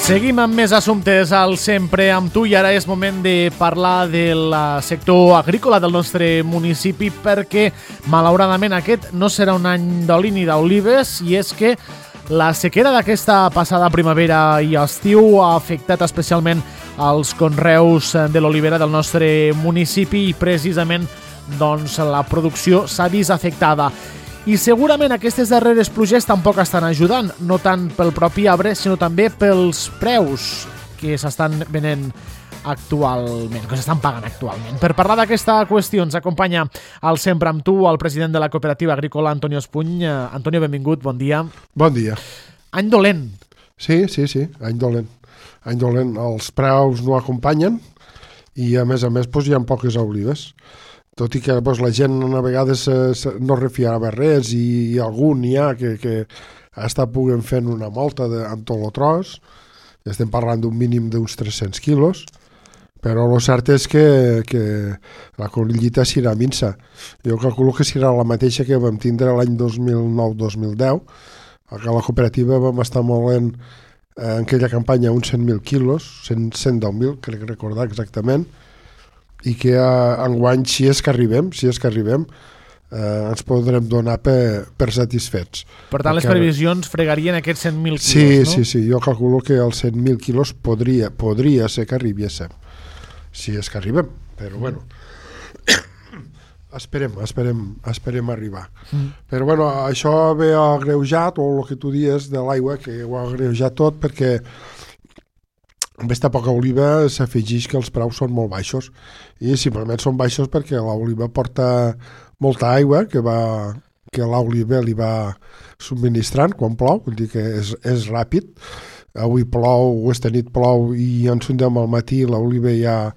Seguim amb més assumptes al Sempre amb tu i ara és moment de parlar del sector agrícola del nostre municipi perquè malauradament aquest no serà un any d'oli ni d'olives i és que la sequera d'aquesta passada primavera i estiu ha afectat especialment els conreus de l'olivera del nostre municipi i precisament doncs, la producció s'ha vist afectada. I segurament aquestes darreres pluges tampoc estan ajudant, no tant pel propi arbre, sinó també pels preus que s'estan venent actualment, que s'estan pagant actualment. Per parlar d'aquesta qüestió ens acompanya al Sempre amb tu el president de la cooperativa agrícola, Antonio Espuny. Antonio, benvingut, bon dia. Bon dia. Any dolent. Sí, any dolent. Any dolent. Els preus no acompanyen i a més hi ha poques olives. Tot i que la gent a vegades no refiava res i algun n'hi ha que està puguent fent una molta amb tot el tros. Estem parlant d'un mínim d'uns 300 quilos, però el cert és que la collita serà minsa. Jo calculo que serà la mateixa que vam tindre l'any 2009-2010, que a la cooperativa vam estar molent en aquella campanya uns 100.000 quilos, 110.000, crec recordar exactament, i que enguany, si és que arribem, ens podrem donar per satisfets. Per tant, les previsions fregarien aquests 100.000 quilos, no? Sí, jo calculo que els 100.000 quilos podria ser que arribéssim, si és que arribem, però bueno, esperem arribar. Però bueno, això ve agreujat, o el que tu dius de l'aigua, que ho ha agreujat tot, perquè amb aquesta poca oliva s'afegeix que els preus són molt baixos i simplement són baixos perquè l'oliva porta molta aigua que l'oliva li va subministrant quan plou, vull dir que és ràpid. Avui plou, esta nit plou i ens sondem al matí l'oliva ja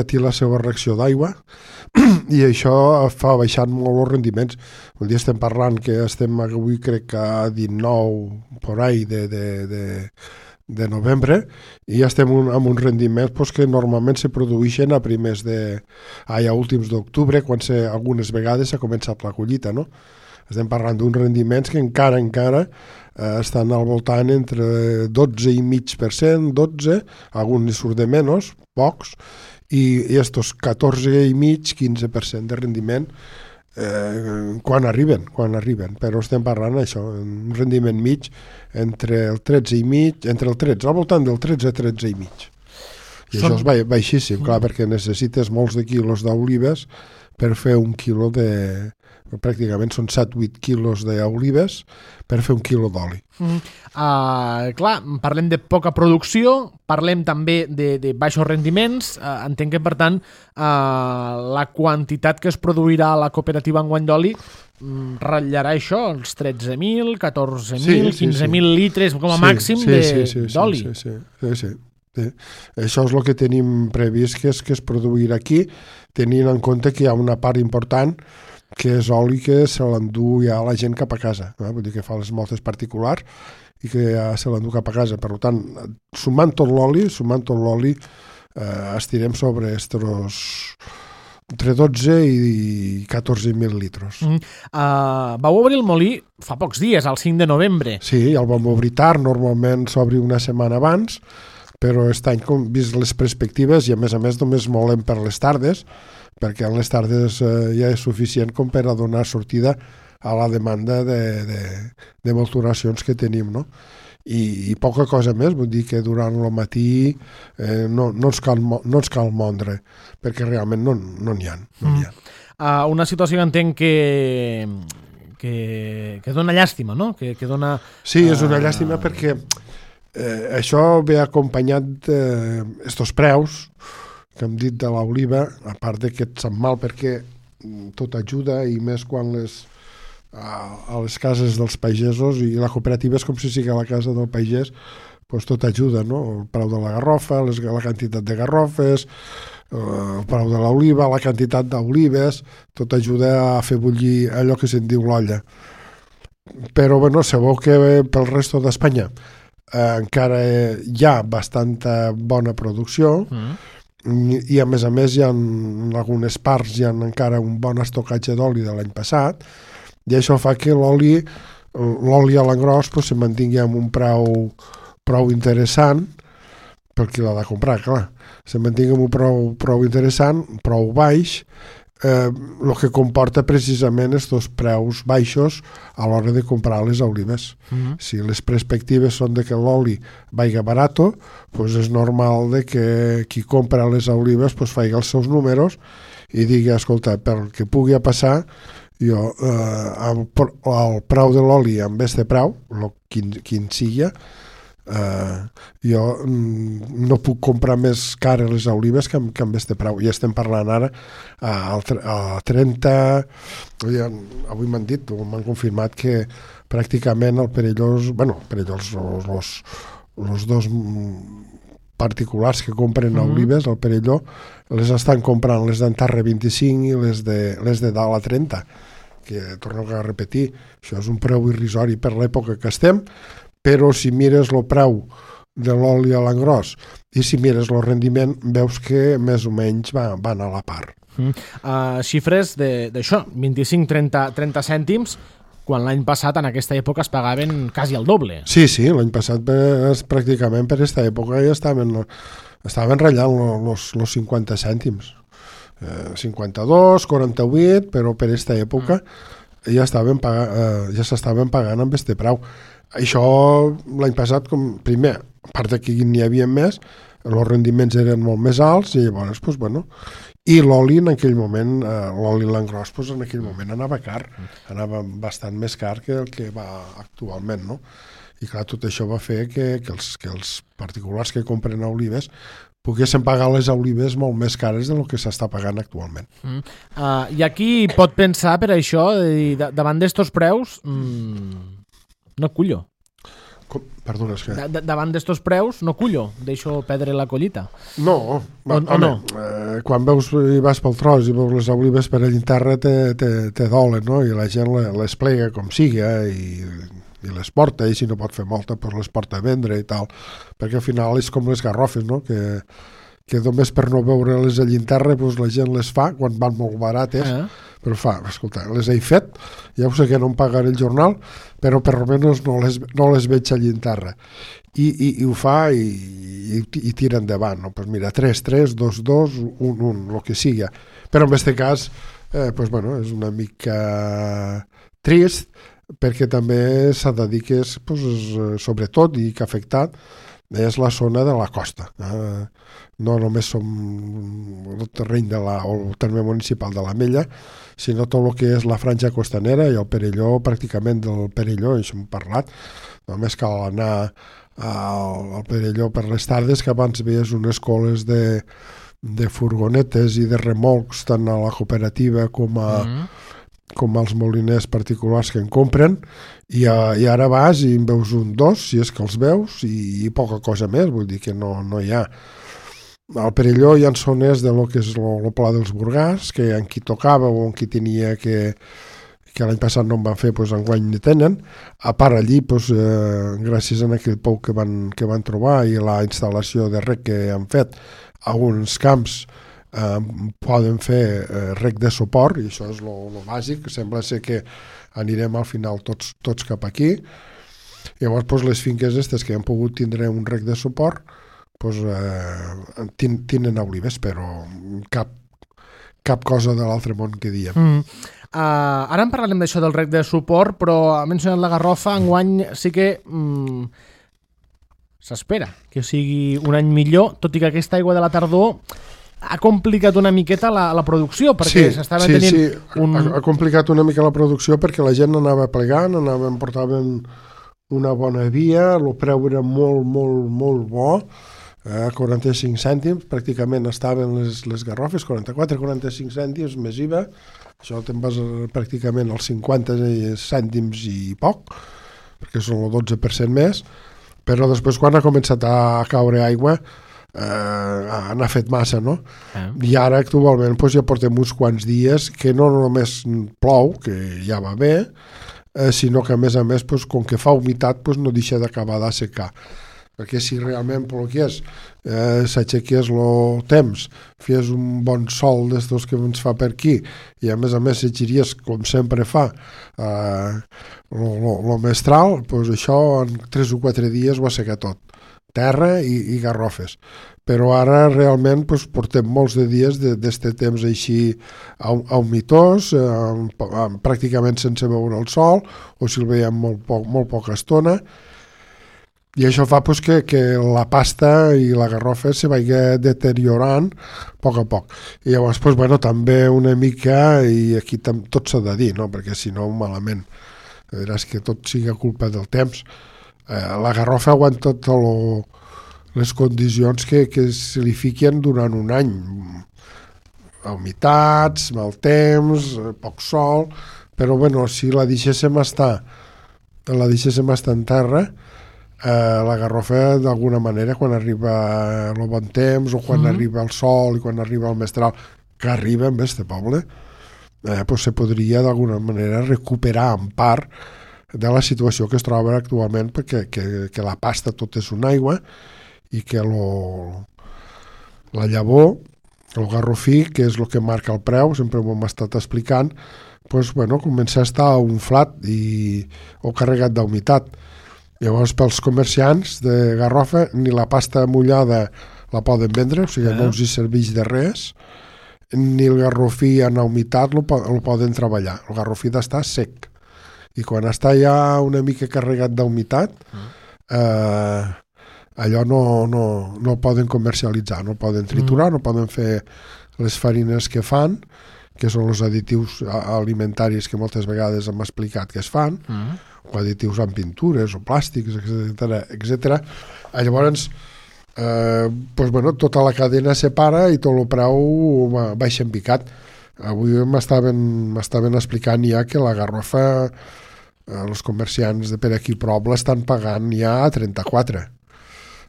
té la seva reacció d'aigua i això fa baixar molt els rendiments. Un dia estem parlant que estem avui crec que a 19 por ahí de novembre i ja estem amb uns rendiments que normalment se produeixen a últims d'octubre, quan algunes vegades s'ha començat la collita, no? Estem parlant d'uns rendiments que encara estan al voltant entre 12,5%, 12, alguns surt de menys, pocs, i estos 14,5%, 15% de rendiment quan arriben, però estem parlant això, un rendiment mig entre el 13,5, al voltant del 13,5. I això és baixíssim, clar, perquè necessites molts de quilos d'olives per fer un quilo pràcticament són 7-8 quilos d'olives per fer un quilo d'oli. Clar, parlem de poca producció, parlem també de baixos rendiments, entenc que per tant la quantitat que es produirà a la cooperativa enguany d'oli ratllarà això, els 13.000, 14.000, 15.000 litres com a màxim d'oli. Sí. Això és el que tenim previst que es produirà aquí, tenint en compte que hi ha una part important que és oli que se l'endú ja la gent cap a casa, vull dir que fa les moltes particulars i que ja se l'endú cap a casa. Per tant, sumant tot l'oli, estirem sobre entre 12 i 14.000 litres. Vau obrir el molí fa pocs dies, el 5 de novembre. Sí, el vam obrir tard, normalment s'obri una setmana abans, però aquest any, com vist les perspectives, i a més només molem per les tardes, perquè en les tardes ja és suficient com per a donar sortida a la demanda de maturacions que tenim, no? I poca cosa més, vull dir que durant el matí no ens cal mondre, perquè realment no n'hi ha. Una situació que entenc que dona llàstima, no? Que dona... Sí, és una llàstima perquè això ve acompanyat d'estos preus que hem dit de l'oliva, a part que et sap mal perquè tot ajuda i més quan a les cases dels pagesos i la cooperativa és com si sigui a la casa del pagès, doncs tot ajuda, no? El preu de la garrofa, la quantitat de garrofes, el preu de l'oliva, la quantitat d'olives, tot ajuda a fer bullir allò que se'n diu l'olla. Però, bueno, sabeu que pel resto d'Espanya encara hi ha bastanta bona producció, i a més hi ha en algunes parts encara un bon estocatge d'oli de l'any passat i això fa que l'oli a l'engròs se mantingui amb un preu prou interessant per qui l'ha de comprar, clar. Se mantingui amb un prou interessant, prou baix, el que comporta precisament aquests preus baixos a l'hora de comprar les olives. Si les perspectives són de que l'oli vaiga barato, pues és normal de que qui compra les olives pues faci els seus números i digui, escolta, pel que pugui passar, jo el preu de l'oli amb este preu, quin sigui, jo no puc comprar més cares les olives que amb este preu. Ja estem parlant ara a 30, avui m'han dit, m'han confirmat que pràcticament el Perellós, els dos particulars que compren olives al Perelló, les estan comprant les d'Antarre 25 i les de dalt a 30, que torno a repetir, això és un preu irrisori per l'època que estem, però si mires el preu de l'oli a l'engròs i si mires el rendiment, veus que més o menys van a la part. Xifres d'això, 25-30 cèntims, quan l'any passat en aquesta època es pagaven quasi el doble. Sí, l'any passat pràcticament per aquesta època ja estaven ratllant els 50 cèntims. 52, 48, però per aquesta època ja s'estaven pagant amb este preu. Això l'any passat, primer, a part que n'hi havia més, els rendiments eren molt més alts i llavors, i l'oli en aquell moment, l'oli l'engròs, en aquell moment anava car, anava bastant més car que el que va actualment, no? I clar, tot això va fer que els particulars que compren olives poguessin pagar les olives molt més cares del que s'està pagant actualment. I aquí pot pensar, per això, davant d'estos preus, no cullo. Perdona, és que... Davant d'estos preus, no cullo, deixo perdre la collita. No, no. Quan vas pel tros i veus les olives per allà en terra te dolen, no? I la gent les plega com siga i les porta, i si no pot fer molta, doncs les porta a vendre i tal, perquè al final és com les garrofes, no? Que només per no veure-les allà en terra la gent les fa quan van molt barates, però escolta, les he fet, ja ho sé que no em pagaré el jornal, però per almenys no les veig allà en terra. I ho fa i tira endavant, no? Pues mira, 3, 2, 2, 1, el que siga. Però en aquest cas, és una mica trist, perquè també s'ha de dir que és, sobretot, i que ha afectat, és la zona de la costa. No només som el terreny o el terme municipal de l'Ametlla, sinó tot el que és la franja costanera i el Perelló, pràcticament del Perelló, això hem parlat. Només cal anar al Perelló per les tardes, que abans veies unes coles de furgonetes i de remolcs tant a la cooperativa com als moliners particulars que en compren, i ara vas i en veus un, dos, si és que els veus, i poca cosa més, vull dir que no hi ha. Al Perelló hi ha zones de lo que és el Pla dels Burgars, que en qui tocava o en qui tenia que l'any passat no en van fer, enguany ni tenen. A part allí, gràcies a aquell pou que van trobar i la instal·lació de rec que han fet, alguns camps poden fer rec de suport, i això és el bàsic, sembla ser que anirem al final tots cap aquí. Llavors les finques aquestes que han pogut tindre un rec de suport tenen olives, però cap cosa de l'altre món que diem. Ara en parlarem d'això del rec de suport, però ha mencionat la garrofa, enguany sí que s'espera que sigui un any millor, tot i que aquesta aigua de la tardor ha complicat una miqueta la producció, perquè s'estava tenint ha complicat una mica la producció perquè la gent anava plegant, portaven una bona via, el preu era molt, molt, molt bo, 45 cèntims, pràcticament estaven les garrofes, 44-45 cèntims més IVA, això te'n vas pràcticament als 50 cèntims i poc, perquè són el 12% més, però després quan ha començat a caure aigua n'ha fet massa, no? I ara actualment ja portem uns quants dies que no només plou, que ja va bé, sinó que a més, com que fa humitat, no deixa d'acabar d'assecar. Perquè si realment plogués, s'aixequés el temps, fes un bon sol d'estos que ens fa per aquí, i a més s'agiries, com sempre fa, el mestral, això en 3 o 4 dies ho asseca tot. terra i garrofes. Però ara realment doncs, portem molts de dies d'este temps així humitós, pràcticament sense veure el sol, o si el veiem molt poca estona, i això fa doncs, que la pasta i la garrofa se vagi deteriorant a poc. I llavors doncs, bueno, també una mica, i aquí tot s'ha de dir, no? Perquè si no malament, veràs que tot sigui culpa del temps. La garrofa aguanta les condicions que se li fiquen durant un any, humitats, mal temps, poc sol, però bueno, si la deixéssim estar en terra, la garrofa d'alguna manera quan arriba el bon temps o quan arriba el sol i quan arriba el mestral, que arriba en este poble, pues se podria d'alguna manera recuperar en part de la situació que es troba actualment, perquè que la pasta tot és una aigua i que la llavor, el garrofí, que és el que marca el preu, sempre ho hem estat explicant, pues, bueno, comença a estar unflat o carregat d'humitat. Llavors, pels comerciants de garrofa, ni la pasta mullada la poden vendre, o sigui, no els hi serveix de res, ni el garrofí en humitat el poden treballar. El garrofí d'estar sec. I quan està ja una mica carregat d'humitat, allò no el poden comercialitzar, no el poden triturar, no poden fer les farines que fan, que són els additius alimentaris que moltes vegades hem explicat que es fan, o additius en pintures o plàstics, etc. Llavors, doncs, bueno, tota la cadena se para i tot el preu baixa en picat. Avui m'estaven explicant ja que la garrofa, els comerciants de per aquí prop l'estan pagant ja a 34.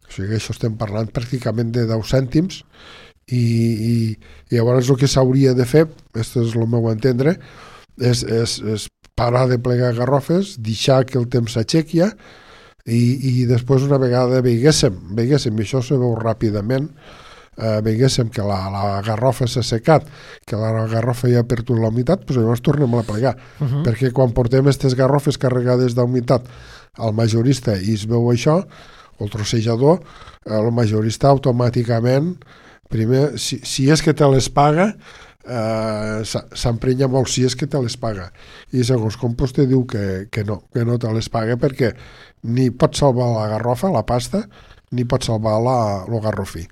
O sigui, això estem parlant pràcticament de 10 cèntims i llavors el que s'hauria de fer, aquest és el meu entendre, és parar de plegar garrofes, deixar que el temps s'aixequi i després una vegada veiguéssim, i això se veu ràpidament, veiguéssim que la garrofa s'ha assecat, que la garrofa ja ha perdut la humitat, doncs llavors tornem a plegar. Perquè quan portem aquestes garrofes carregades d'humitat al majorista i es veu això, o el trossejador, el majorista automàticament, primer, si és que te les paga, s'emprenya molt si és que te les paga. I segons com te diu que no te les paga perquè ni pot salvar la garrofa, la pasta, ni pot salvar el garrofí.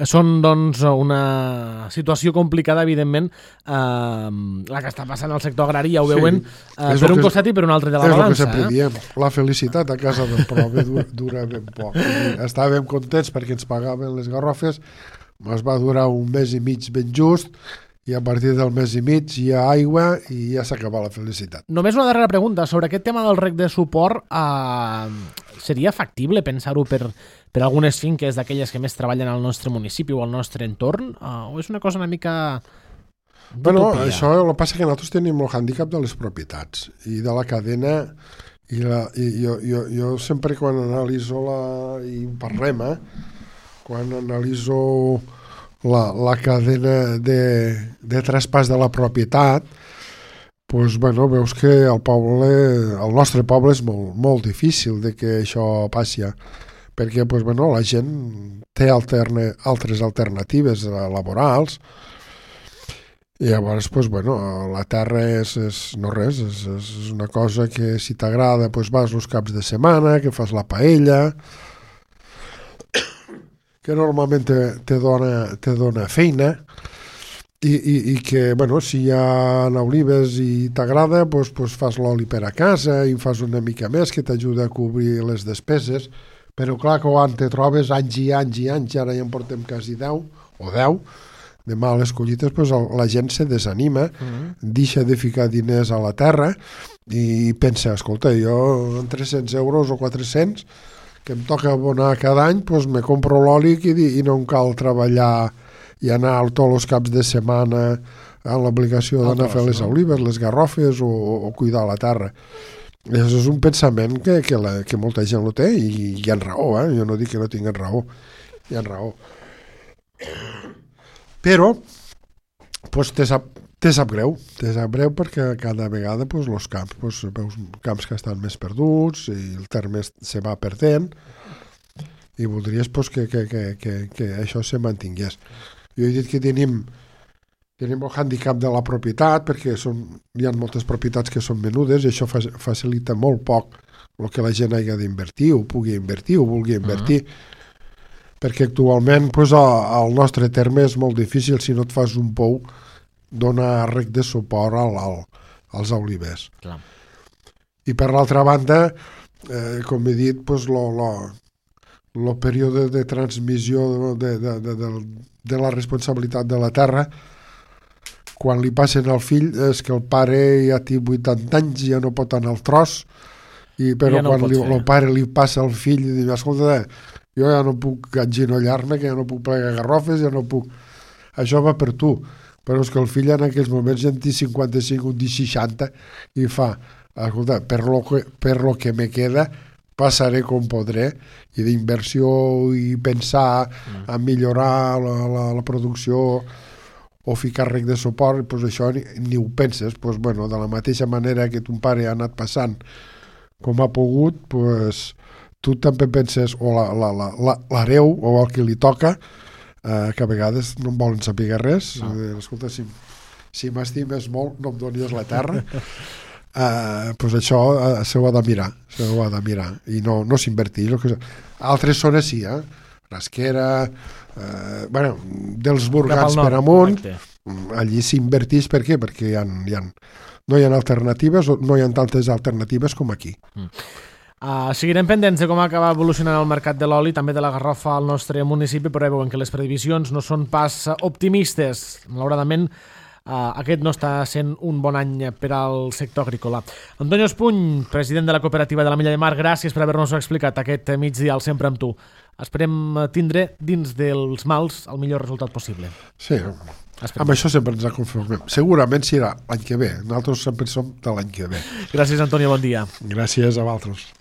Són, doncs, una situació complicada, evidentment, la que està passant al sector agrari, ja ho veuen, per un costat i per un altre de la balança. És el que sempre diem, la felicitat a casa del prove dura ben poc. Estàvem contents perquè ens pagaven les garrofes, ens va durar un mes i mig ben just, i a partir del mes i mig hi ha aigua i ja s'acaba la felicitat. Només una darrera pregunta. Sobre aquest tema del rec de suport, seria factible pensar-ho per algunes finques d'aquelles que més treballen al nostre municipi o al nostre entorn? O és una cosa una mica Bueno, això el que passa que nosaltres tenim el hàndicap de les propietats i de la cadena i jo sempre quan analitzo i parlem, quan analitzo la cadena de traspàs de la propietat, doncs, bueno, veus que el nostre poble és molt difícil de que això passi, perquè doncs, bueno, la gent té altres alternatives laborals i llavors doncs, bueno, la terra és no res, és una cosa que si t'agrada doncs, vas els caps de setmana, que fas la paella, que normalment te dona feina i que, bueno, si hi ha olives i t'agrada, doncs fas l'oli per a casa i fas una mica més que t'ajuda a cobrir les despeses, però clar que quan te trobes anys i anys, ara ja en portem quasi 10 de males collites, doncs la gent se desanima, deixa de ficar diners a la terra i pensa, escolta, jo amb 300 euros o 400 que em toca abonar cada any, doncs me compro l'oli i no em cal treballar i anar tots els caps de setmana amb l'obligació d'anar a fer les olives, les garrofes o cuidar la terra. Això és un pensament que molta gent lo té i hi ha raó, jo no dic que no tinguin raó, hi ha raó. Però doncs Te sap greu perquè cada vegada pues, els camps, pues, veus camps que estan més perduts i el terme se va perdent i voldries pues, que això se mantingués. Jo he dit que tenim el hàndicap de la propietat perquè hi ha moltes propietats que són menudes i això facilita molt poc el que la gent hagi d'invertir o pugui invertir o vulgui invertir perquè actualment pues, el nostre terme és molt difícil si no et fas un pou donar rec de suport als olivers. Clar. I per l'altra banda, com he dit, pues, el període de transmissió de la responsabilitat de la terra, quan li passen al fill, és que el pare ja té 80 anys i ja no pot anar al tros, però ja no quan el pare li passa al fill i diu, escolta, jo ja no puc enginollar-me, que ja no puc plegar garrofes, ja no puc... Això va per tu. Però és que el fill en aquells moments ja en té 55 o 60 i fa, escolta, per lo que me queda passaré com podré i d'inversió i pensar a millorar la producció o ficar rec de suport, pues això ni ho penses. Pues bueno, de la mateixa manera que ton pare ha anat passant com ha pogut, pues, tu també penses o l'hereu o el que li toca que a vegades no em volen saber res. No. Escolta, si m'estimes molt no em donis la terra. Pues això s'ho ha de mirar i no s'invertir. Altres zones sí, Rasquera, dels Burgats per amunt, allí s'invertís. Per què? Perquè no hi ha alternatives, no hi ha tantes alternatives com aquí. Seguirem pendents de com acaba evolucionant el mercat de l'oli, també de la garrofa al nostre municipi, però veuen que les previsions no són pas optimistes. Malauradament, aquest no està sent un bon any per al sector agrícola. Antonio Espuny, president de la cooperativa de la Milla de Mar, gràcies per haver-nos-ho explicat aquest migdia al Sempre amb tu. Esperem tindre dins dels mals el millor resultat possible. Sí, amb això sempre ens conformem. Segurament serà l'any que ve. Nosaltres sempre som de l'any que ve. Gràcies, Antonio, bon dia. Gràcies a vosaltres.